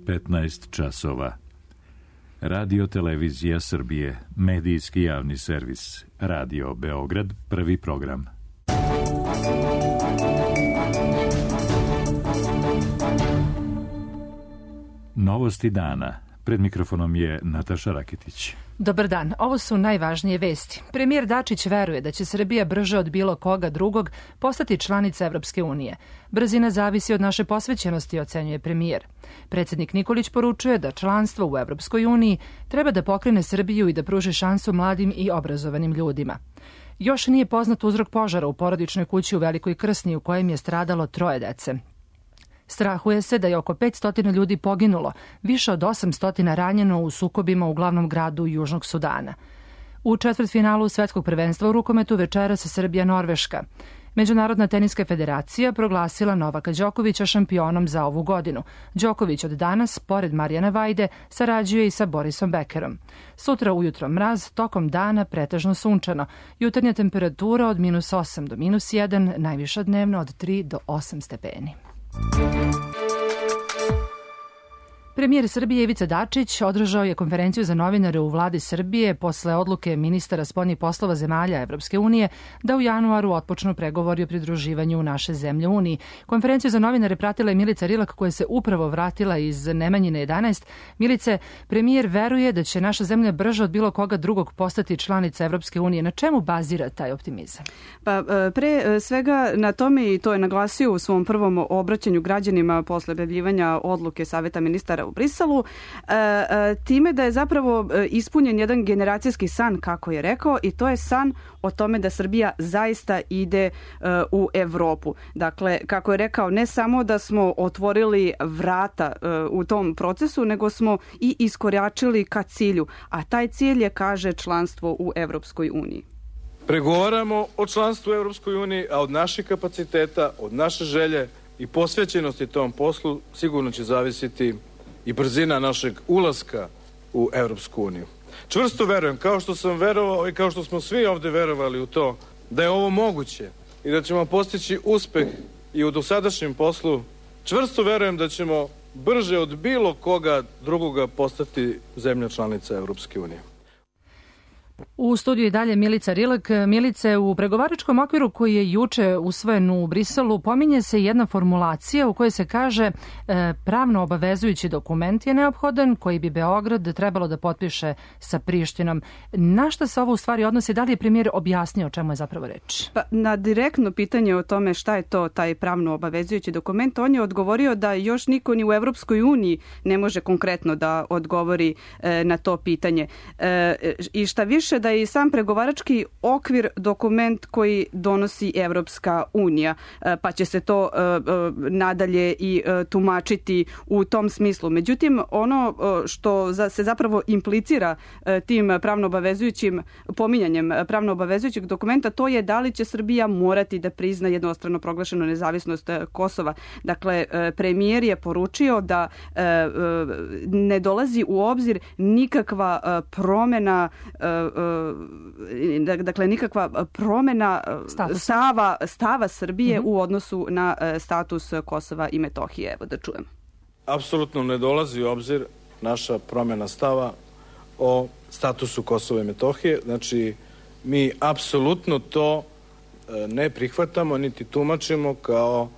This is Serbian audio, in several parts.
15 časova. Radio Televizija Srbije, medijski javni servis. Radio Beograd, prvi program. Novosti dana. Pred mikrofonom je Nataša Raketić. Dobar dan, ovo su najvažnije vesti. Premijer Dačić veruje da će Srbija brže od bilo koga drugog postati članica Evropske unije. Brzina zavisi od naše posvećenosti, ocenjuje premijer. Predsjednik Nikolić poručuje da članstvo u Evropskoj uniji treba da pokrene Srbiju i da pruži šansu mladim i obrazovanim ljudima. Još nije poznat uzrok požara u porodičnoj kući u Velikoj Krsni u kojem je stradalo 3 dece. Strahuje se da je oko 500 ljudi poginulo, više od 800 ranjeno u sukobima u glavnom gradu Južnog Sudana. U četvrtfinalu Svetskog prvenstva u rukometu večeras Srbija-Norveška. Međunarodna teniska federacija proglasila Novaka Đokovića šampionom za ovu godinu. Đoković od danas, pored Marijana Vajde, sarađuje i sa Borisom Bekerom. Sutra ujutro mraz, tokom dana pretežno sunčano. Jutarnja temperatura od -8 do -1, najviša dnevno od 3 do 8 stepeni. Premijer Srbije Ivica Dačić održao je konferenciju za novinare u vladi Srbije posle odluke ministara spoljnih poslova zemalja Evropske unije da u januaru otpočnu pregovori o pridruživanju naše zemlje Uniji. Konferenciju za novinare pratila je Milica Rilak koja se upravo vratila iz Nemanjine 11. Milice, premijer veruje da će naša zemlja brže od bilo koga drugog postati članica Evropske unije. Na čemu bazira taj optimizam? Pa pre svega na tome, i to je naglasio u svom prvom obraćanju građanima posle objavljivanja odluke Saveta ministara u Briselu, time da je zapravo ispunjen jedan generacijski san, kako je rekao, i to je san o tome da Srbija zaista ide u Evropu. Dakle, kako je rekao, ne samo da smo otvorili vrata u tom procesu, nego smo i iskoračili ka cilju, a taj cilj je, kaže, članstvo u Evropskoj uniji. Pregovaramo o članstvu u Evropskoj uniji, a od naših kapaciteta, od naše želje i posvećenosti tom poslu sigurno će zavisiti i brzina našeg ulaska u Evropsku uniju. Čvrsto verujem, kao što sam verovao i kao što smo svi ovde verovali u to, da je ovo moguće i da ćemo postići uspeh i u dosadašnjem poslu. Čvrsto verujem da ćemo brže od bilo koga drugoga postati zemlja članica Evropske unije. U studiju i dalje Milica Rilak. Milice, u pregovaračkom okviru koji je juče usvojen u Briselu pominje se jedna formulacija u kojoj se kaže pravno obavezujući dokument je neophodan koji bi Beograd trebalo da potpiše sa Prištinom. Na šta se ovo u stvari odnosi? Da li je premijer objasnio o čemu je zapravo reč? Pa, na direktno pitanje o tome šta je to taj pravno obavezujući dokument, on je odgovorio da još niko ni u Evropskoj uniji ne može konkretno da odgovori na to pitanje. I šta više, da je i sam pregovarački okvir dokument koji donosi Evropska unija, pa će se to nadalje i tumačiti u tom smislu. Međutim, ono što se zapravo implicira tim pravno obavezujućim pominjanjem pravno obavezujućeg dokumenta, to je da li će Srbija morati da prizna jednostrano proglašenu nezavisnost Kosova. Dakle, premijer je poručio da ne dolazi u obzir nikakva promena, dakle nikakva promena stava Srbije u odnosu na status Kosova i Metohije. Evo da čujem. Apsolutno ne dolazi u obzir naša promjena stava o statusu Kosova i Metohije. Znači, mi apsolutno to ne prihvatamo niti tumačimo kao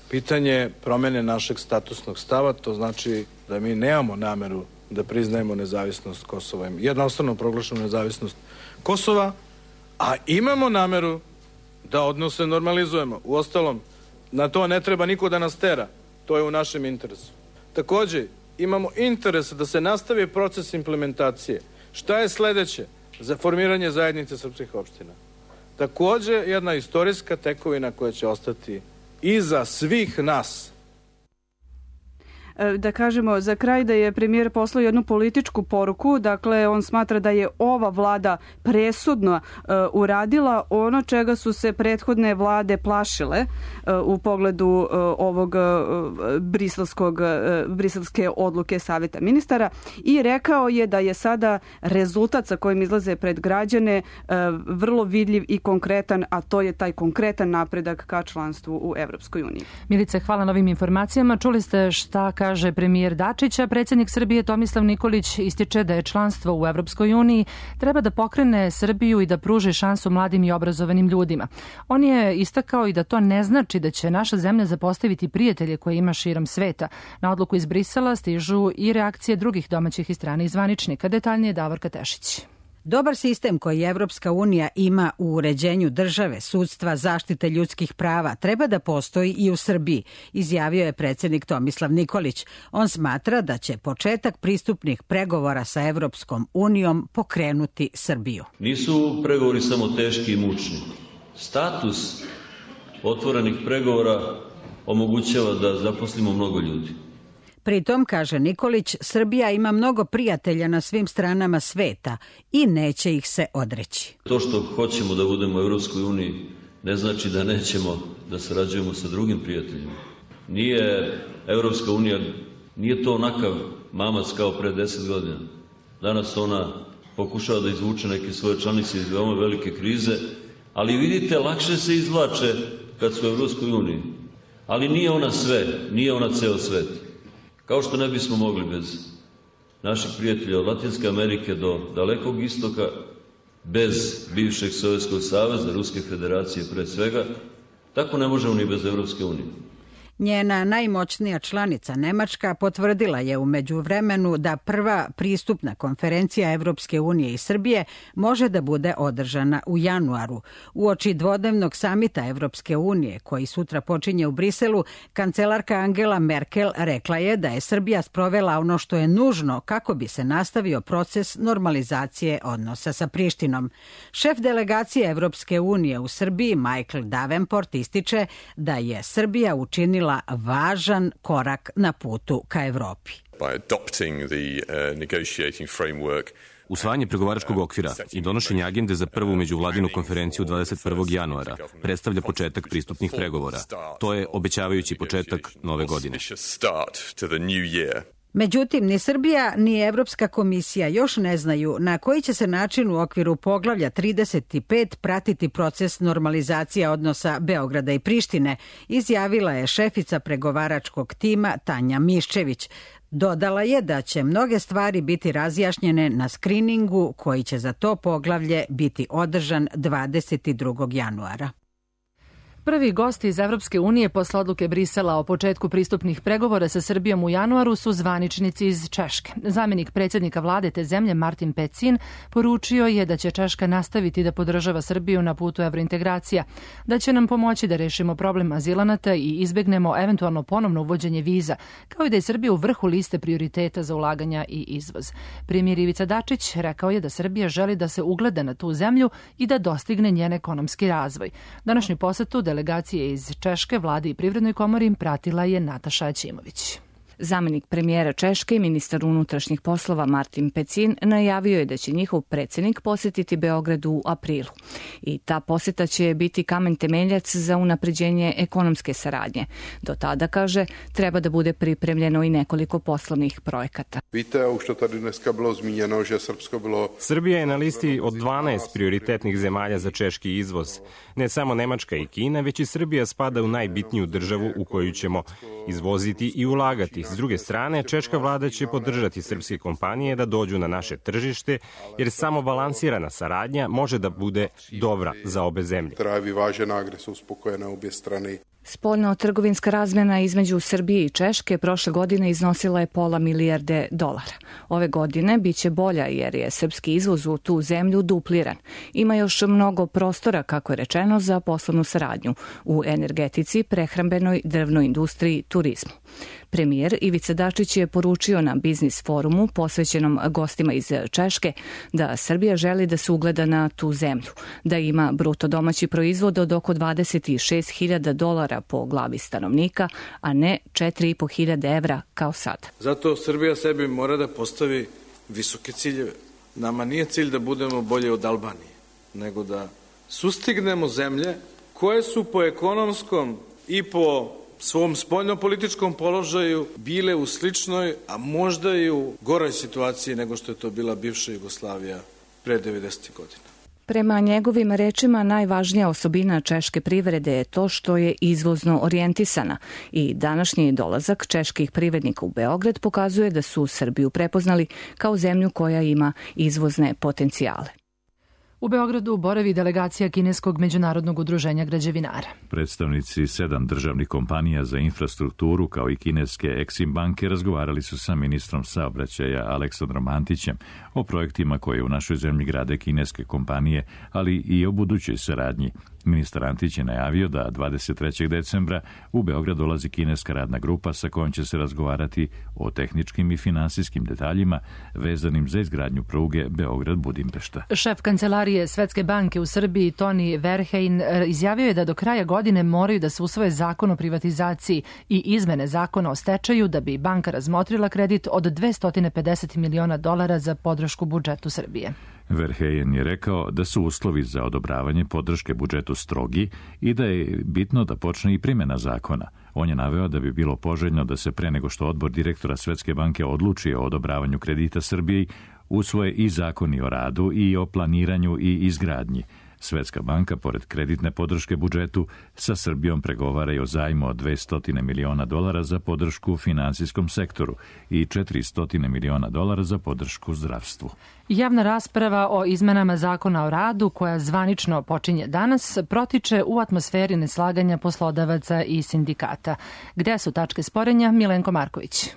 pitanje promjene našeg statusnog stava. To znači da mi nemamo nameru da priznajemo nezavisnost Kosova, jednostavno proglašenu nezavisnost Kosova, a imamo nameru da odnose normalizujemo. Uostalom, na to ne treba niko da nas tera. To je u našem interesu. Takođe, imamo interes da se nastavi proces implementacije. Šta je sledeće za formiranje zajednice srpskih opština? Takođe, jedna istorijska tekovina koja će ostati iza svih nas. Da kažemo za kraj da je premijer poslao jednu političku poruku, dakle on smatra da je ova vlada presudno uradila ono čega su se prethodne vlade plašile u pogledu ovog briselske odluke Saveta ministara i rekao je da je sada rezultat sa kojim izlaze pred građane vrlo vidljiv i konkretan, a to je taj konkretan napredak ka članstvu u Evropskoj uniji. Milice, hvala na ovim informacijama. Čuli ste šta kaže premijer Dačić, a predsjednik Srbije Tomislav Nikolić ističe da je članstvo u Evropskoj uniji treba da pokrene Srbiju i da pruži šansu mladim i obrazovanim ljudima. On je istakao i da to ne znači da će naša zemlja zapostaviti prijatelje koje ima širom sveta. Na odluku iz Brisela stižu i reakcije drugih domaćih i stranih zvaničnika. Detaljnije Davorka Tešić. Dobar sistem koji Evropska unija ima u uređenju države, sudstva, zaštite ljudskih prava treba da postoji i u Srbiji, izjavio je predsjednik Tomislav Nikolić. On smatra da će početak pristupnih pregovora sa Evropskom unijom pokrenuti Srbiju. Nisu pregovori samo teški i mučni. Status otvorenih pregovora omogućava da zaposlimo mnogo ljudi. Pritom, kaže Nikolić, Srbija ima mnogo prijatelja na svim stranama sveta i neće ih se odreći. To što hoćemo da budemo u Evropskoj uniji ne znači da nećemo da sarađujemo sa drugim prijateljima. Nije Evropska unija, nije to onakav mamac kao pre 10 godina. Danas ona pokušava da izvuče neke svoje članice iz veoma velike krize, ali vidite, lakše se izvlače kad su u Evropskoj uniji. Ali nije ona sve, nije ona ceo svet. Kao što ne bismo mogli bez naših prijatelja od Latinske Amerike do Dalekog istoka, bez bivšeg Sovjetskog saveza, Ruske federacije pre svega, tako ne možemo ni bez Evropske unije. Njena najmoćnija članica Nemačka potvrdila je u međuvremenu da prva pristupna konferencija Evropske unije i Srbije može da bude održana u januaru. Uoči dvodnevnog samita Evropske unije, koji sutra počinje u Briselu, kancelarka Angela Merkel rekla je da je Srbija sprovela ono što je nužno kako bi se nastavio proces normalizacije odnosa sa Prištinom. Šef delegacije Evropske unije u Srbiji, Michael Davenport, ističe da je Srbija učinila važan korak na putu ka Evropi. Usvajanje pregovaračkog okvira i donošenje agende za prvu međuvladinu konferenciju 21. januara predstavlja početak pristupnih pregovora. To je obećavajući početak nove godine. Međutim, ni Srbija ni Evropska komisija još ne znaju na koji će se način u okviru poglavlja 35 pratiti proces normalizacije odnosa Beograda i Prištine, izjavila je šefica pregovaračkog tima Tanja Miščević. Dodala je da će mnoge stvari biti razjašnjene na skriningu koji će za to poglavlje biti održan 22. januara. Prvi gosti iz Evropske unije posle odluke Brisela o početku pristupnih pregovora sa Srbijom u januaru su zvaničnici iz Češke. Zamjenik predsjednika vlade te zemlje Martin Pecin poručio je da će Češka nastaviti da podržava Srbiju na putu evrointegracija, da će nam pomoći da rešimo problem azilanata i izbegnemo eventualno ponovno uvođenje viza, kao i da je Srbija u vrhu liste prioriteta za ulaganja i izvoz. Premijer Ivica Dačić rekao je da Srbija želi da se ugleda na tu zemlju i da dostigne njen ekonomski razvoj. Današnju posetu delegacije iz Češke, vlade i privrednoj komori pratila je Nataša Aćimović. Zamjenik premijera Češke i ministar unutrašnjih poslova Martin Pecin najavio je da će njihov predsjednik posjetiti Beograd u aprilu. I ta posjeta će biti kamen temeljac za unapređenje ekonomske saradnje. Do tada, kaže, treba da bude pripremljeno i nekoliko poslovnih projekata. Srbija je na listi od 12 prioritetnih zemalja za češki izvoz. Ne samo Nemačka i Kina, već i Srbija spada u najbitniju državu u koju ćemo izvoziti i ulagati. S druge strane, češka vlada će podržati srpske kompanije da dođu na naše tržište, jer samo balansirana saradnja može da bude dobra za obe zemlje. Spoljno-trgovinska razmjena između Srbije i Češke prošle godine iznosila je $500 milijarde. Ove godine biće bolja jer je srpski izvoz u tu zemlju dupliran. Ima još mnogo prostora, kako je rečeno, za poslovnu saradnju u energetici, prehrambenoj, drvnoj industriji, turizmu. Premijer Ivica Dačić je poručio na biznis forumu posvećenom gostima iz Češke da Srbija želi da se ugleda na tu zemlju, da ima bruto domaći proizvod od oko $26.000 po glavi stanovnika, a ne 4.500 evra kao sad. Zato Srbija sebi mora da postavi visoke ciljeve. Nama nije cilj da budemo bolje od Albanije, nego da sustignemo zemlje koje su po ekonomskom i po svom spoljnopolitičkom položaju bile u sličnoj, a možda i u goroj situaciji nego što je to bila bivša Jugoslavija pre 90. godina. Prema njegovim rečima, najvažnija osobina češke privrede je to što je izvozno orijentisana i današnji dolazak čeških privrednika u Beograd pokazuje da su Srbiju prepoznali kao zemlju koja ima izvozne potencijale. U Beogradu boravi delegacija Kineskog međunarodnog udruženja građevinara. Predstavnici 7 državnih kompanija za infrastrukturu kao i kineske Exim banke razgovarali su sa ministrom saobraćaja Aleksandrom Antićem o projektima koje u našoj zemlji grade kineske kompanije, ali i o budućoj saradnji. Ministar Antić je najavio da 23. decembra u Beograd dolazi kineska radna grupa sa kojom će se razgovarati o tehničkim i finansijskim detaljima vezanim za izgradnju pruge Beograd-Budimpešta. Šef kancelarije Svetske banke u Srbiji Toni Verheyen izjavio je da do kraja godine moraju da se usvoje zakon o privatizaciji i izmene zakona o stečaju da bi banka razmotrila kredit od $250 miliona za podršku budžetu Srbije. Verheyen je rekao da su uslovi za odobravanje podrške budžetu strogi i da je bitno da počne i primjena zakona. On je naveo da bi bilo poželjno da se pre nego što odbor direktora Svetske banke odluči o odobravanju kredita Srbiji, usvoje i zakoni o radu i o planiranju i izgradnji. Svetska banka, pored kreditne podrške budžetu, sa Srbijom pregovara i o zajmu od $200 miliona za podršku finansijskom sektoru i $400 miliona za podršku zdravstvu. Javna rasprava o izmenama zakona o radu, koja zvanično počinje danas, protiče u atmosferi neslaganja poslodavaca i sindikata. Gde su tačke sporenja? Milenko Marković.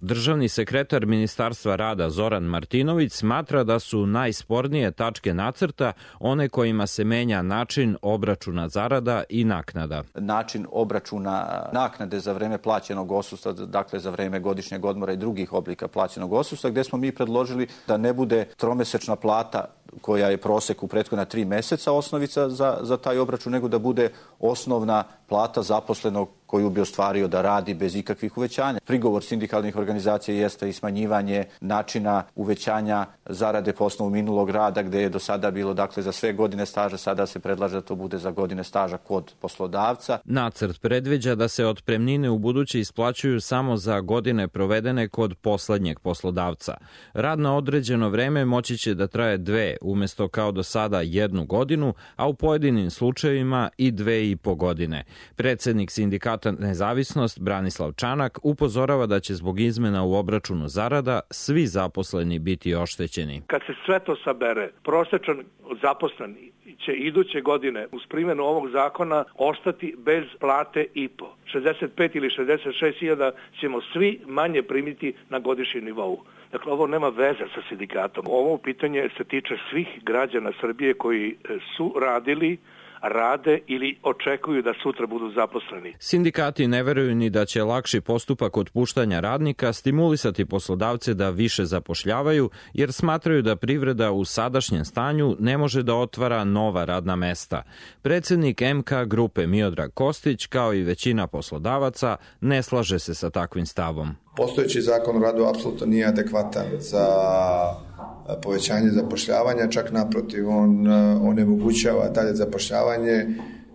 Državni sekretar Ministarstva rada Zoran Martinović smatra da su najspornije tačke nacrta one kojima se menja način obračuna zarada i naknada. Način obračuna naknade za vreme plaćenog odsustva, dakle za vreme godišnjeg odmora i drugih oblika plaćenog odsustva, gde smo mi predložili da ne bude tromesečna plata koja je prosek u prethodna 3 meseca osnovica za taj obračun, nego da bude osnovna plata zaposlenog koju bi ostvario da radi bez ikakvih uvećanja. Prigovor sindikalnih organizacija jeste i smanjivanje načina uvećanja zarade po osnovu minulog rada, gde je do sada bilo dakle za sve godine staža, sada se predlaže da to bude za godine staža kod poslodavca. Nacrt predviđa da se otpremnine u buduće isplaćuju samo za godine provedene kod poslednjeg poslodavca. Rad na određeno vreme moći će da traje 2, umesto kao do sada 1 godinu, a u pojedinim slučajevima i 2,5 godine. Predsednik sindikata Nezavisnost Branislav Čanak upozorava da će zbog izmena u obračunu zarada svi zaposleni biti oštećeni. Kad se sve to sabere, prosečan zaposleni će iduće godine uz primjenu ovog zakona ostati bez plate i po. 65 ili 66 hiljada ćemo svi manje primiti na godišnjem nivou. Dakle, ovo nema veze sa sindikatom. Ovo pitanje se tiče svih građana Srbije koji su radili, rade ili očekuju da sutra budu zaposleni. Sindikati ne veruju ni da će lakši postupak otpuštanja radnika stimulisati poslodavce da više zapošljavaju, jer smatraju da privreda u sadašnjem stanju ne može da otvara nova radna mesta. Predsednik MK grupe Miodrag Kostić, kao i većina poslodavaca, ne slaže se sa takvim stavom. Postojeći zakon o radu apsolutno nije adekvatan za povećanje zapošljavanja, čak naprotiv, on onemogućava dalje zapošljavanje.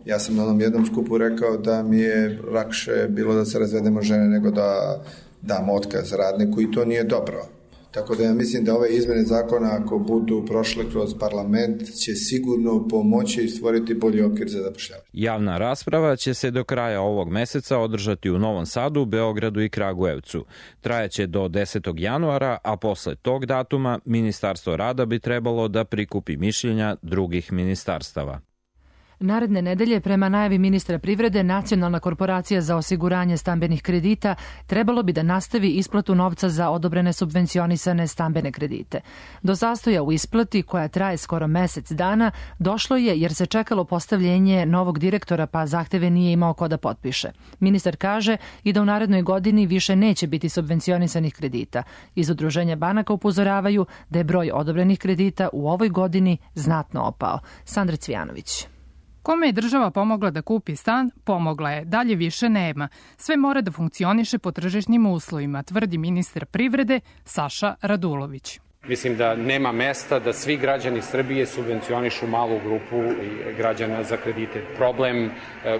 Ja sam na onom jednom skupu rekao da mi je lakše bilo da se razvedemo žene nego da dam otkaz radniku i to nije dobro. Tako da ja mislim da ove izmene zakona, ako budu prošle kroz parlament, će sigurno pomoći i stvoriti bolji okvir za zapošljavanje. Javna rasprava će se do kraja ovog meseca održati u Novom Sadu, Beogradu i Kragujevcu. Trajaće do 10. januara, a posle tog datuma Ministarstvo rada bi trebalo da prikupi mišljenja drugih ministarstava. Naredne nedelje, prema najavi ministra privrede, Nacionalna korporacija za osiguranje stambenih kredita trebalo bi da nastavi isplatu novca za odobrene subvencionisane stambene kredite. Do zastoja u isplati, koja traje skoro mesec dana, došlo je jer se čekalo postavljenje novog direktora, pa zahteve nije imao ko da potpiše. Ministar kaže i da u narednoj godini više neće biti subvencionisanih kredita. Iz Udruženja banaka upozoravaju da je broj odobrenih kredita u ovoj godini znatno opao. Sandra Cvijanović. Kome je država pomogla da kupi stan, pomogla je, dalje više nema. Sve mora da funkcioniše po tržišnim uslovima, tvrdi ministar privrede Saša Radulović. Mislim da nema mesta da svi građani Srbije subvencionišu malu grupu građana za kredite. Problem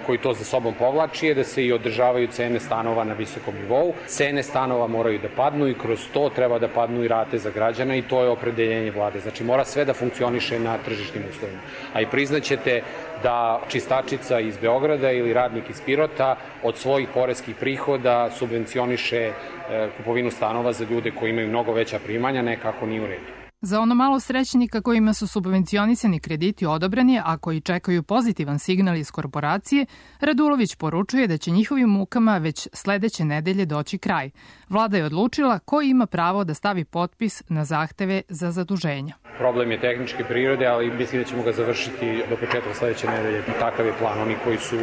koji to za sobom povlači je da se i održavaju cene stanova na visokom nivou. Cene stanova moraju da padnu i kroz to treba da padnu i rate za građana i to je opredeljenje vlade. Znači mora sve da funkcioniše na tržišnim uslovima. A i priznaćete da čistačica iz Beograda ili radnik iz Pirota od svojih poreskih prihoda subvencioniše kupovinu stanova za ljude koji imaju mnogo veća primanja, nekako nije u redu. Za ono malo srećnika kojima su subvencionisani krediti odobreni, a koji čekaju pozitivan signal iz korporacije, Radulović poručuje da će njihovim mukama već sledeće nedelje doći kraj. Vlada je odlučila ko ima pravo da stavi potpis na zahteve za zaduženja. Problem je tehničke prirode, ali mislim da ćemo ga završiti do početka sledeće nedelje. Takav je plan. Oni koji su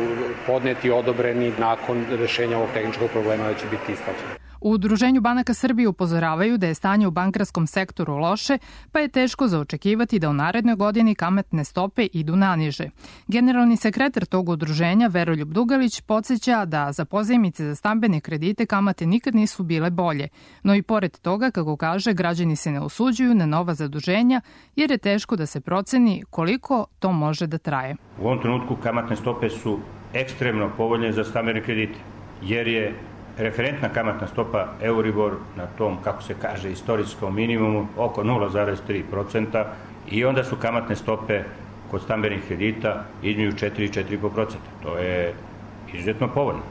podneti, odobreni nakon rešenja ovog tehničkog problema da će biti isplaćeni. U Udruženju banaka Srbije upozoravaju da je stanje u bankarskom sektoru loše, pa je teško zaočekivati da u narednoj godini kamatne stope idu naniže. Generalni sekretar tog udruženja, Veroljub Dugalić, podsjeća da za pozajmice za stambene kredite kamate nikad nisu bile bolje, no i pored toga, kako kaže, građani se ne usuđuju na nova zaduženja jer je teško da se proceni koliko to može da traje. U ovom trenutku kamatne stope su ekstremno povoljne za stambene kredite, jer je referentna kamatna stopa Euribor na tom, kako se kaže, istorijskom minimumu oko 0,3% i onda su kamatne stope kod stambenih kredita između 4 i 4,5%. To je izuzetno povoljno.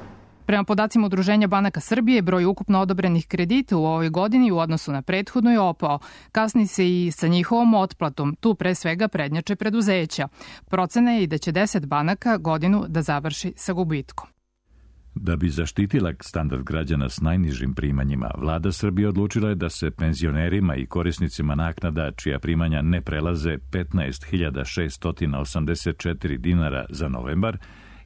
Prema podacima Udruženja banaka Srbije, broj ukupno odobrenih kredita u ovoj godini u odnosu na prethodnu je opao. Kasni se i sa njihovom otplatom, tu pre svega prednjače preduzeća. Procena je i da će 10 banaka godinu da završi sa gubitkom. Da bi zaštitila standard građana s najnižim primanjima, vlada Srbije odlučila je da se penzionerima i korisnicima naknada čija primanja ne prelaze 15.684 dinara za novembar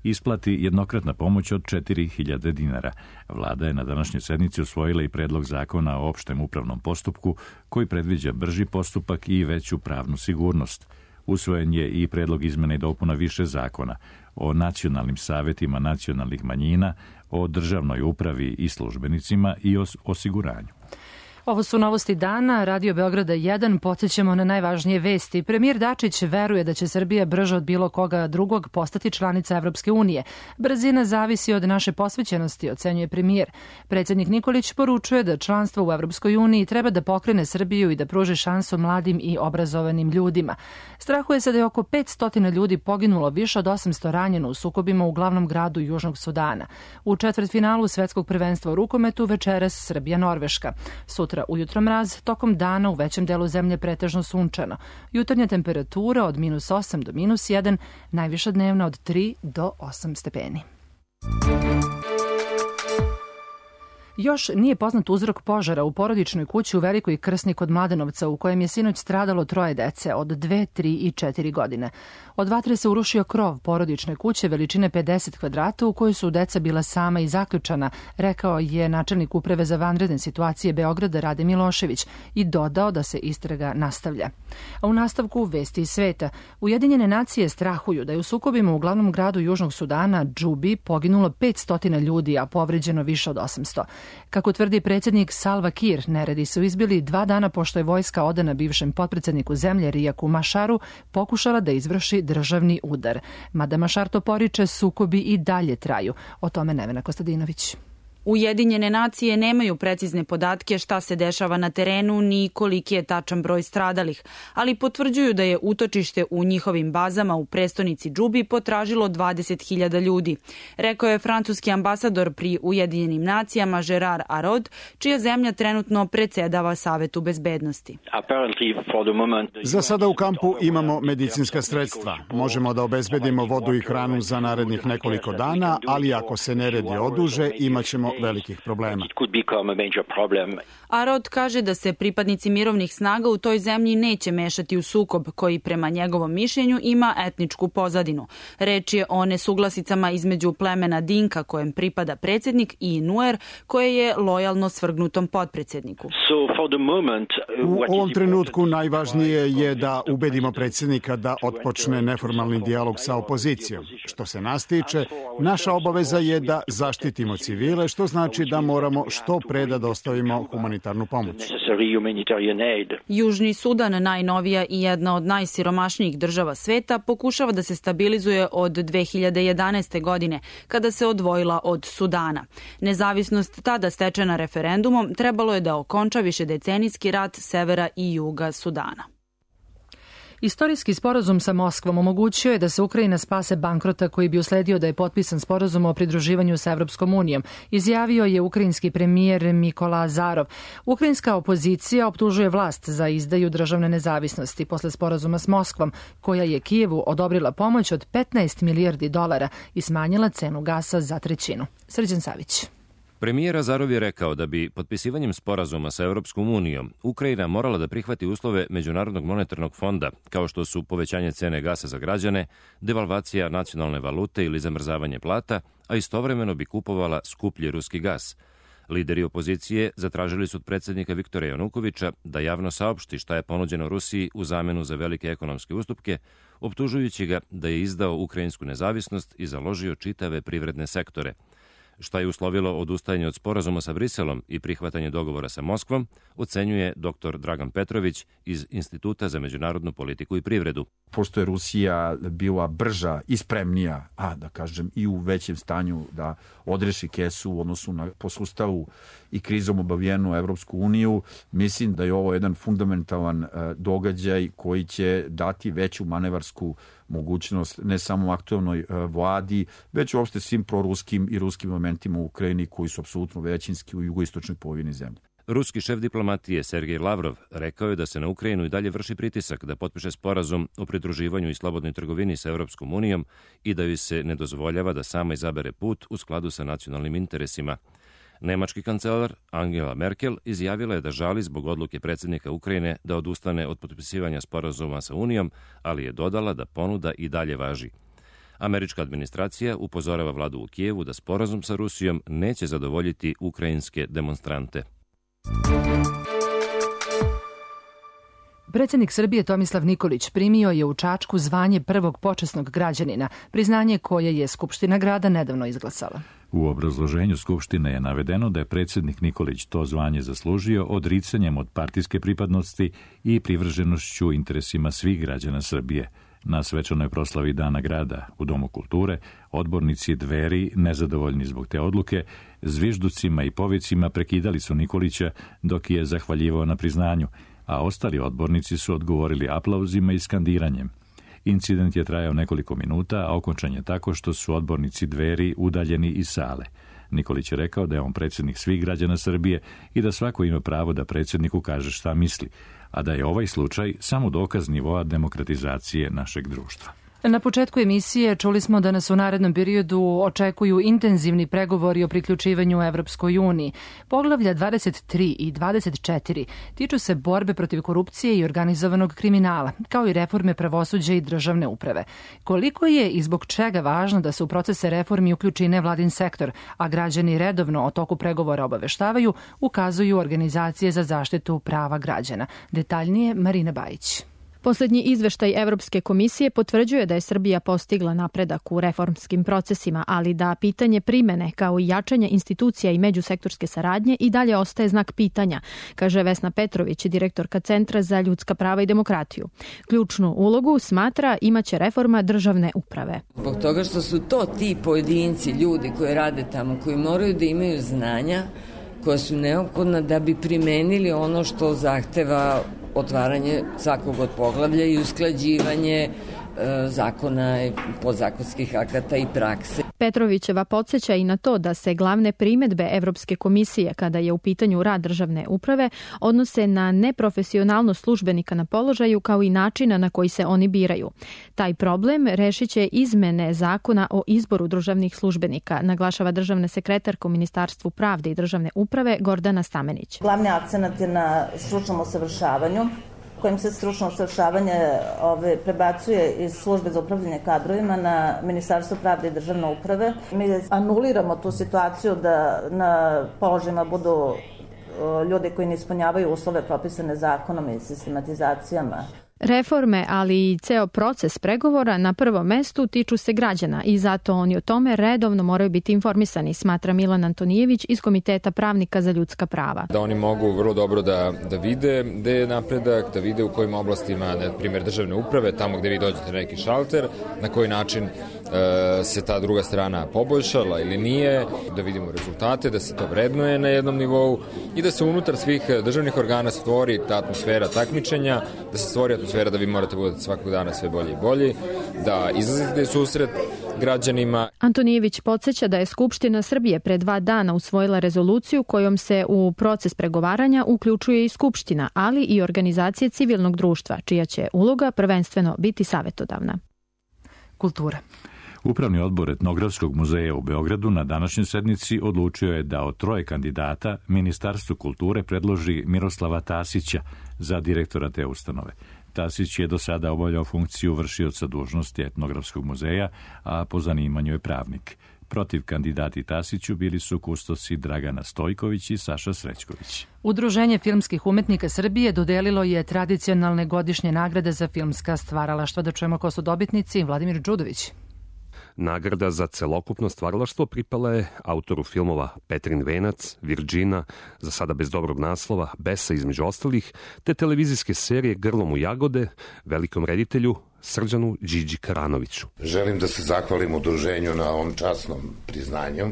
isplati jednokratna pomoć od 4.000 dinara. Vlada je na današnjoj sednici usvojila i predlog zakona o opštem upravnom postupku koji predviđa brži postupak i veću pravnu sigurnost. Usvojen je i predlog izmena i dopuna više zakona o nacionalnim savetima nacionalnih manjina, o državnoj upravi i službenicima i o osiguranju. Ovo su novosti dana. Radio Beograda 1. Podsjećamo na najvažnije vesti. Premijer Dačić veruje da će Srbija brže od bilo koga drugog postati članica Evropske unije. Brzina zavisi od naše posvećenosti, ocenjuje premijer. Predsjednik Nikolić poručuje da članstvo u Evropskoj uniji treba da pokrene Srbiju i da pruži šansu mladim i obrazovanim ljudima. Strahuje se da je oko 500 ljudi poginulo, više od 800 ranjeno u sukobima u glavnom gradu Južnog Sudana. U četvrtfinalu svetskog prvenstva u rukometu večeras Srbija-Norveška. Sutra ujutro mraz, tokom dana u većem delu zemlje pretežno sunčano. Jutarnja temperatura od -8 do -1, najviša dnevna od 3 do 8 stepeni. Još nije poznat uzrok požara u porodičnoj kući u Velikoj Krsni kod Mladenovca, u kojem je sinoć stradalo 3 dece od 2, 3 i 4 godine. Od vatre se urušio krov porodične kuće veličine 50 kvadrata u kojoj su deca bila sama i zaključana, rekao je načelnik uprave za vanredne situacije Beograda Rade Milošević i dodao da se istraga nastavlja. A u nastavku vesti iz sveta. Ujedinjene nacije strahuju da je u sukobima u glavnom gradu Južnog Sudana, Džubi, poginulo 500 ljudi, a povređeno više od 800. Kako tvrdi predsjednik Salva Kiir, neredi su izbili 2 dana pošto je vojska odana bivšem potpredsjedniku zemlje Rijaku Mašaru pokušala da izvrši državni udar. Mada Mašar to poriče, sukobi i dalje traju. O tome Nevena Kostadinović. Ujedinjene nacije nemaju precizne podatke šta se dešava na terenu ni koliki je tačan broj stradalih, ali potvrđuju da je utočište u njihovim bazama u prestonici Džubi potražilo 20.000 ljudi. Rekao je francuski ambasador pri Ujedinjenim nacijama Gerard Arod, čija zemlja trenutno predsedava Savetu bezbednosti. Za sada u kampu imamo medicinska sredstva. Možemo da obezbedimo vodu i hranu za narednih nekoliko dana, ali ako se neredi oduže, imaćemo velikih problema. Arod kaže da se pripadnici mirovnih snaga u toj zemlji neće mešati u sukob koji prema njegovom mišljenju ima etničku pozadinu. Reč je o nesuglasicama između plemena Dinka kojem pripada predsjednik i Nuer koje je lojalno svrgnutom potpredsjedniku. U ovom trenutku najvažnije je da ubedimo predsjednika da otpočne neformalni dijalog sa opozicijom. Što se nas tiče, naša obaveza je da zaštitimo civile, što znači da moramo što pre da dostavimo humanitarnu pomoć. Južni Sudan, najnovija i jedna od najsiromašnijih država sveta, pokušava da se stabilizuje od 2011. godine, kada se odvojila od Sudana. Nezavisnost tada stečena referendumom trebalo je da okonča višedecenijski rat severa i juga Sudana. Istorijski sporazum sa Moskvom omogućio je da se Ukrajina spase bankrota koji bi usledio da je potpisan sporazum o pridruživanju sa Evropskom unijom, izjavio je ukrajinski premijer Mikola Azarov. Ukrajinska opozicija optužuje vlast za izdaju državne nezavisnosti posle sporazuma s Moskvom, koja je Kijevu odobrila pomoć od 15 milijardi dolara i smanjila cenu gasa za trećinu. Srđan Savić. Premijer Azarov je rekao da bi potpisivanjem sporazuma sa Evropskom unijom Ukrajina morala da prihvati uslove Međunarodnog monetarnog fonda, kao što su povećanje cene gasa za građane, devalvacija nacionalne valute ili zamrzavanje plata, a istovremeno bi kupovala skuplji ruski gas. Lideri opozicije zatražili su od predsjednika Viktora Janukovića da javno saopšti šta je ponuđeno Rusiji u zamenu za velike ekonomske ustupke, optužujući ga da je izdao ukrajinsku nezavisnost i založio čitave privredne sektore. Šta je uslovilo odustajanje od sporazuma sa Briselom i prihvatanje dogovora sa Moskvom, ocenjuje dr. Dragan Petrović iz Instituta za međunarodnu politiku i privredu. Pošto je Rusija bila brža i spremnija, da kažem i u većem stanju da odreši kesu u odnosu na po sustavu i krizom obavijenu Evropsku uniju, mislim da je ovo jedan fundamentalan događaj koji će dati veću manevarsku mogućnost ne samo aktualnoj vladi, već uopšte svim proruskim i ruskim momentima u Ukrajini koji su apsolutno većinski u jugoistočnoj polovini zemlje. Ruski šef diplomatije Sergej Lavrov rekao je da se na Ukrajinu i dalje vrši pritisak da potpiše sporazum o pridruživanju i slobodnoj trgovini sa Evropskom unijom i da joj se ne dozvoljava da sama izabere put u skladu sa nacionalnim interesima. Nemački kancelar Angela Merkel izjavila je da žali zbog odluke predsjednika Ukrajine da odustane od potpisivanja sporazuma sa Unijom, ali je dodala da ponuda i dalje važi. Američka administracija upozorava vladu u Kijevu da sporazum sa Rusijom neće zadovoljiti ukrajinske demonstrante. Predsjednik Srbije Tomislav Nikolić primio je u Čačku zvanje prvog počasnog građanina, priznanje koje je Skupština grada nedavno izglasala. U obrazloženju Skupštine je navedeno da je predsjednik Nikolić to zvanje zaslužio odricanjem od partijske pripadnosti i privrženošću interesima svih građana Srbije. Na svečanoj proslavi Dana grada u Domu kulture, odbornici Dveri, nezadovoljni zbog te odluke, zvižducima i povicima prekidali su Nikolića dok je zahvaljivao na priznanju, a ostali odbornici su odgovorili aplauzima i skandiranjem. Incident je trajao nekoliko minuta, a okončan je tako što su odbornici Dveri udaljeni iz sale. Nikolić je rekao da je on predsjednik svih građana Srbije i da svako ima pravo da predsjedniku kaže šta misli, a da je ovaj slučaj samo dokaz nivoa demokratizacije našeg društva. Na početku emisije čuli smo da nas u narednom periodu očekuju intenzivni pregovori o priključivanju Evropskoj uniji. Poglavlja 23 i 24 tiču se borbe protiv korupcije i organizovanog kriminala, kao i reforme pravosuđa i državne uprave. Koliko je i zbog čega važno da se u procese reformi uključi nevladin sektor, a građani redovno o toku pregovora obaveštavaju, ukazuju organizacije za zaštitu prava građana. Detaljnije Marina Bajić. Poslednji izveštaj Evropske komisije potvrđuje da je Srbija postigla napredak u reformskim procesima, ali da pitanje primene kao i jačanje institucija i međusektorske saradnje i dalje ostaje znak pitanja, kaže Vesna Petrović, direktorka Centra za ljudska prava i demokratiju. Ključnu ulogu smatra imaće reforma državne uprave. Zbog toga što su to ti pojedinci, ljudi koji rade tamo, koji moraju da imaju znanja koja su neophodna da bi primenili ono što zahteva otvaranje svakog od poglavlja i usklađivanje zakona, podzakonskih akata i prakse. Petrovićeva podsjeća i na to da se glavne primedbe Evropske komisije kada je u pitanju rad državne uprave odnose na neprofesionalnost službenika na položaju kao i načina na koji se oni biraju. Taj problem rešit će izmene zakona o izboru državnih službenika, naglašava državna sekretarka u Ministarstvu pravde i državne uprave Gordana Stamenić. Glavni akcenat je na stručnom usavršavanju, kojim se stručno usavršavanje prebacuje iz službe za upravljanje kadrovima na Ministarstvo pravde i državne uprave. Mi anuliramo tu situaciju da na položajima budu ljudi koji ne ispunjavaju uslove propisane zakonom i sistematizacijama. Reforme, ali i ceo proces pregovora na prvom mestu tiču se građana i zato oni o tome redovno moraju biti informisani, smatra Milan Antonijević iz Komiteta pravnika za ljudska prava. Da oni mogu vrlo dobro da vide gde je napredak, da vide u kojim oblastima, na primjer državne uprave, tamo gde vi dođete na neki šalter, na koji način se ta druga strana poboljšala ili nije, da vidimo rezultate, da se to vrednuje na jednom nivou i da se unutar svih državnih organa stvori ta atmosfera takmičenja, da se stvori atmosfera da vi morate budete svakog dana sve bolji i bolji, da izlazite susret građanima. Antonijević podsjeća da je Skupština Srbije pre 2 dana usvojila rezoluciju kojom se u proces pregovaranja uključuje i Skupština, ali i organizacije civilnog društva, čija će uloga prvenstveno biti savetodavna. Kultura. Upravni odbor Etnografskog muzeja u Beogradu na današnjoj sednici odlučio je da od 3 kandidata Ministarstvo kulture predloži Miroslava Tasića za direktora te ustanove. Tasić je do sada obavljao funkciju vršioca dužnosti Etnografskog muzeja, a po zanimanju je pravnik. Protiv kandidati Tasiću bili su kustosi Dragana Stojković i Saša Srećković. Udruženje filmskih umetnika Srbije dodelilo je tradicionalne godišnje nagrade za filmska stvaralaštva. Da čujemo ko su dobitnici. Vladimir Đudović. Nagrada za celokupno stvaralaštvo pripala je autoru filmova Petrin venac, Virđina, za sada bez dobrog naslova, Besa između ostalih, te televizijske serije Grlom u jagode, velikom reditelju Srđanu Điđi Karanoviću. Želim da se zahvalim udruženju na ovom časnom priznanju,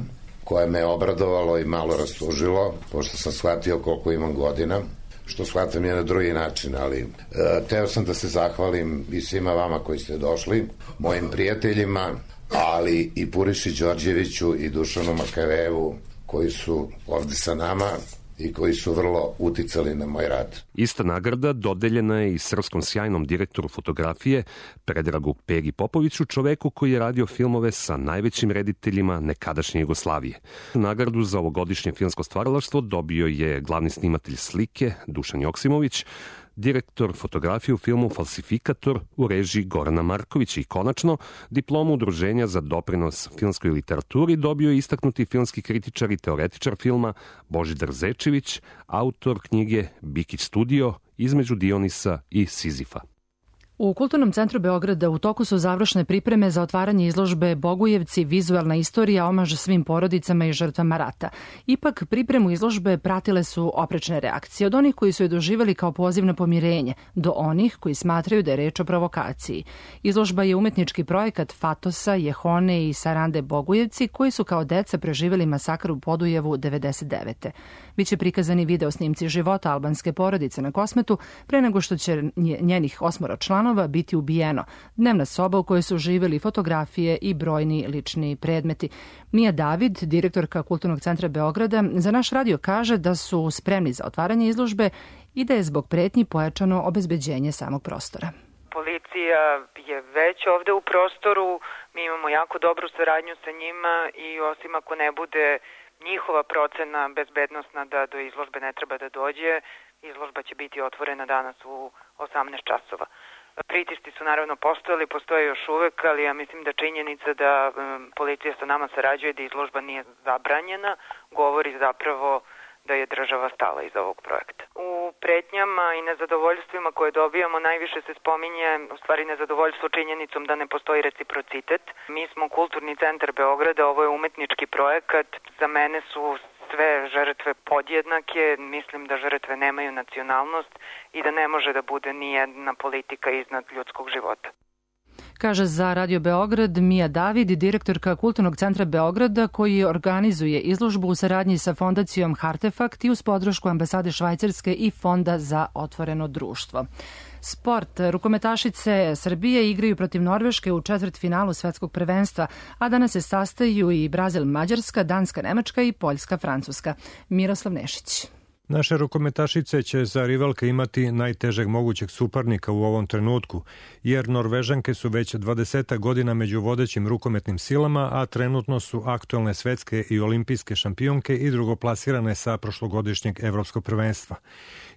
koje me obradovalo i malo rastužilo, pošto sam shvatio koliko imam godina, što shvatam je na drugi način, ali teo sam da se zahvalim i svima vama koji ste došli, mojim prijateljima, ali i Puriši Đorđeviću i Dušanu Makavevu, koji su ovde sa nama i koji su vrlo uticali na moj rad. Ista nagrada dodeljena je i srpskom sjajnom direktoru fotografije Predragu Peri Popoviću, čoveku koji je radio filmove sa najvećim rediteljima nekadašnje Jugoslavije. Nagradu za ovogodišnje filmsko stvaralaštvo dobio je glavni snimatelj slike Dušan Joksimović, direktor fotografije u filmu Falsifikator u režiji Gorana Markovića i konačno diplomu Udruženja za doprinos filmskoj literaturi dobio je istaknuti filmski kritičar i teoretičar filma Božidar Zečević, autor knjige Bikić studio Između Dionisa i Sizifa. U Kulturnom centru Beograda u toku su završne pripreme za otvaranje izložbe Bogujevci, vizualna istorija, omaž svim porodicama i žrtvama rata. Ipak, pripremu izložbe pratile su oprečne reakcije, od onih koji su je doživali kao poziv na pomirenje, do onih koji smatraju da je reč o provokaciji. Izložba je umetnički projekat Fatosa, Jehone i Sarande Bogujevci, koji su kao deca preživjeli masakr u Podujevu 99. Biće prikazani video snimci života albanske porodice na Kosmetu pre nego što će njenih 8 članova biti ubijeno. Dnevna soba u kojoj su živjeli fotografije i brojni lični predmeti. Mija David, direktorka Kulturnog centra Beograda, za naš radio kaže da su spremni za otvaranje izložbe i da je zbog pretnji pojačano obezbeđenje samog prostora. Policija je već ovde u prostoru, mi imamo jako dobru saradnju sa njima i osim ako ne bude njihova procena bezbednosna da do izložbe ne treba da dođe, izložba će biti otvorena danas u 18 časova. Pritisci su naravno postojali, postoje još uvek, ali ja mislim da činjenica da policija sa nama sarađuje, da izložba nije zabranjena, govori zapravo da je država stala iza ovog projekta. U pretnjama i nezadovoljstvima koje dobijamo najviše se spominje u stvari nezadovoljstvo činjenicom da ne postoji reciprocitet. Mi smo Kulturni centar Beograda, ovo je umetnički projekat, za mene su sve žrtve podjednake, mislim da žrtve nemaju nacionalnost i da ne može da bude ni jedna politika iznad ljudskog života. Kaže za Radio Beograd Mija David, direktorka Kulturnog centra Beograda, koji organizuje izložbu u saradnji sa fondacijom Hartefakt i uz podršku ambasade Švajcarske i Fonda za otvoreno društvo. Sport. Rukometašice Srbije igraju protiv Norveške u četvrtfinalu svetskog prvenstva, a danas se sastaju i Brazil, Mađarska, Danska, Nemačka i Poljska, Francuska. Miroslav Nešić. Naše rukometašice će za rivalke imati najtežeg mogućeg suparnika u ovom trenutku, jer Norvežanke su već 20 godina među vodećim rukometnim silama, a trenutno su aktuelne svetske i olimpijske šampionke i drugoplasirane sa prošlogodišnjeg evropskog prvenstva.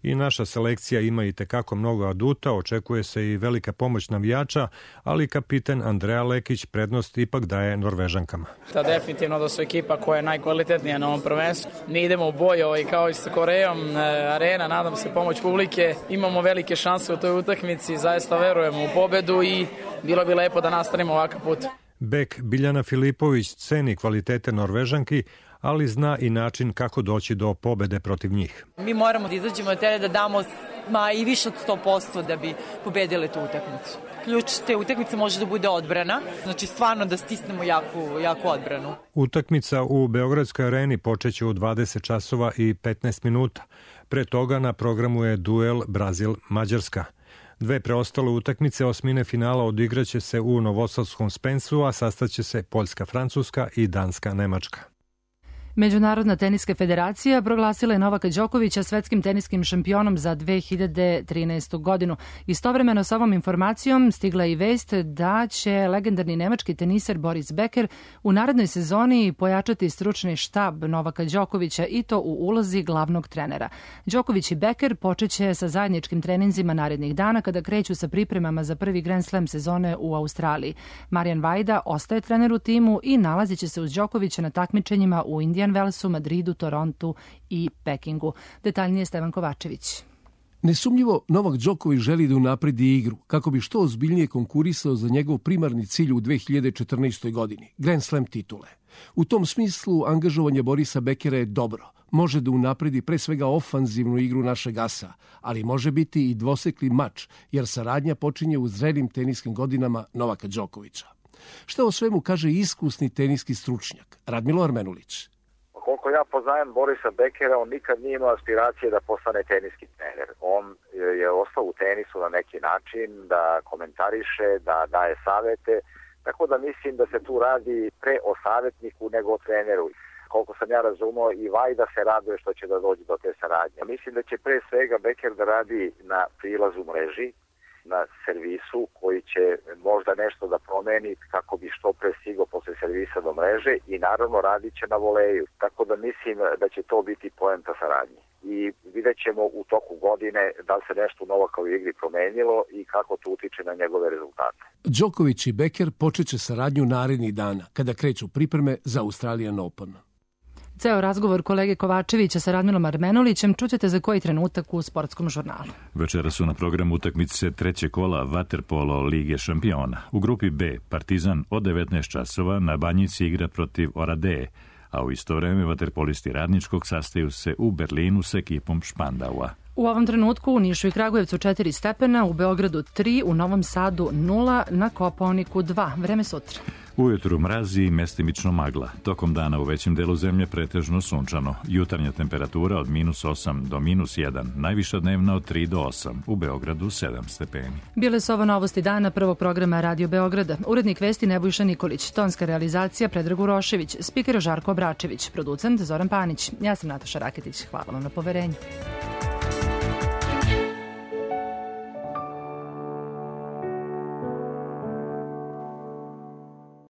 I naša selekcija ima i tekako mnogo aduta, očekuje se i velika pomoć navijača, ali kapiten Andreja Lekić prednost ipak daje Norvežankama. Definitivno da su ekipa koja je najkvalitetnija na ovom prvenstvu. Mi idemo u boj kao i sa Korejom, Trofejom Arena, nadam se pomoć publike. Imamo velike šanse u toj utakmici, zaista verujemo u pobedu i bilo bi lepo da nastavimo ovakav put. Bek Biljana Filipović ceni kvalitete Norvežanki, ali zna i način kako doći do pobede protiv njih. Mi moramo da izađemo na teren, da damo i više od 100% da bi pobedile tu utakmicu. Ključ te utakmice može da bude odbrana, znači stvarno da stisnemo jaku odbranu. Utakmica u Beogradskoj areni počeće u 20 časova i 15 minuta. Pre toga na programu je duel Brazil-Mađarska. Dve preostale utakmice osmine finala odigraće se u Novosadskom Spensu, a sastaće se Poljska-Francuska i Danska-Nemačka. Međunarodna teniska federacija proglasila je Novaka Đokovića svetskim teniskim šampionom za 2013. godinu. Istovremeno sa ovom informacijom stigla i vest da će legendarni nemački teniser Boris Becker u narednoj sezoni pojačati stručni štab Novaka Đokovića i to u ulozi glavnog trenera. Đoković i Becker počeće sa zajedničkim treninzima narednih dana kada kreću sa pripremama za prvi Grand Slam sezone u Australiji. Marijan Vajda ostaje trener u timu i nalazit će se uz Đokovića na takmičenjima u Indian Wellsu, Madridu, Torontu i Pekingu. Detaljnije Stevan Kovačević. Nesumnjivo, Novak Đoković želi da unapredi igru kako bi što ozbiljnije konkurisao za njegov primarni cilj u 2014. godini, Grand Slam titule. U tom smislu angažovanje Borisa Bekera je dobro. Može da unapredi pre svega ofanzivnu igru našeg asa, ali može biti i dvosekli mač, jer saradnja počinje u zrelim teniskim godinama Novaka Đokovića. Šta o svemu kaže iskusni teniski stručnjak Radmilo Armenulić? Koliko ja poznajem Borisa Bekera, on nikad nije imao aspiracije da postane teniski trener. On je ostao u tenisu na neki način, da komentariše, da daje savete, tako da mislim da se tu radi pre o savjetniku nego o treneru. Koliko sam ja razumio, i Vajda se raduje što će da dođe do te saradnje. Mislim da će pre svega Beker da radi na prilazu mreži, na servisu koji će možda nešto da promeni kako bi što pre stigao posle servisa do mreže i naravno radit će na voleju. Tako da mislim da će to biti poenta saradnje. I vidjet ćemo u toku godine da li se nešto novo kao u igri promenilo i kako to utiče na njegove rezultate. Đoković i Beker počeće saradnju narednih dana kada kreću pripreme za Australian Open. Ceo razgovor kolege Kovačevića sa Radmilom Armenulićem čućete za koji trenutak u Sportskom žurnalu. Večera su na programu utakmice treće kola Vaterpolo Lige šampiona. U grupi B Partizan od 19 časova na Banjici igra protiv Oradeje, a u isto vreme vaterpolisti Radničkog sastaju se u Berlinu s ekipom Špandaua. U ovom trenutku u Nišu i Kragujevcu 4 stepena, u Beogradu 3, u Novom Sadu 0, na Kopaoniku 2. Vreme sutra. Ujutru mrazi i mestimično magla. Tokom dana u većem delu zemlje pretežno sunčano. Jutarnja temperatura od -8 do -1. Najviša dnevna od 3 do 8. U Beogradu 7 stepeni. Bile su ovo novosti dana prvog programa Radio Beograda. Urednik vesti Nebojša Nikolić. Tonska realizacija Predrag Urošević. Spiker Žarko Obračević. Producent Zoran Panić. Ja sam Nataša Raketić. Hvala vam na poverenju.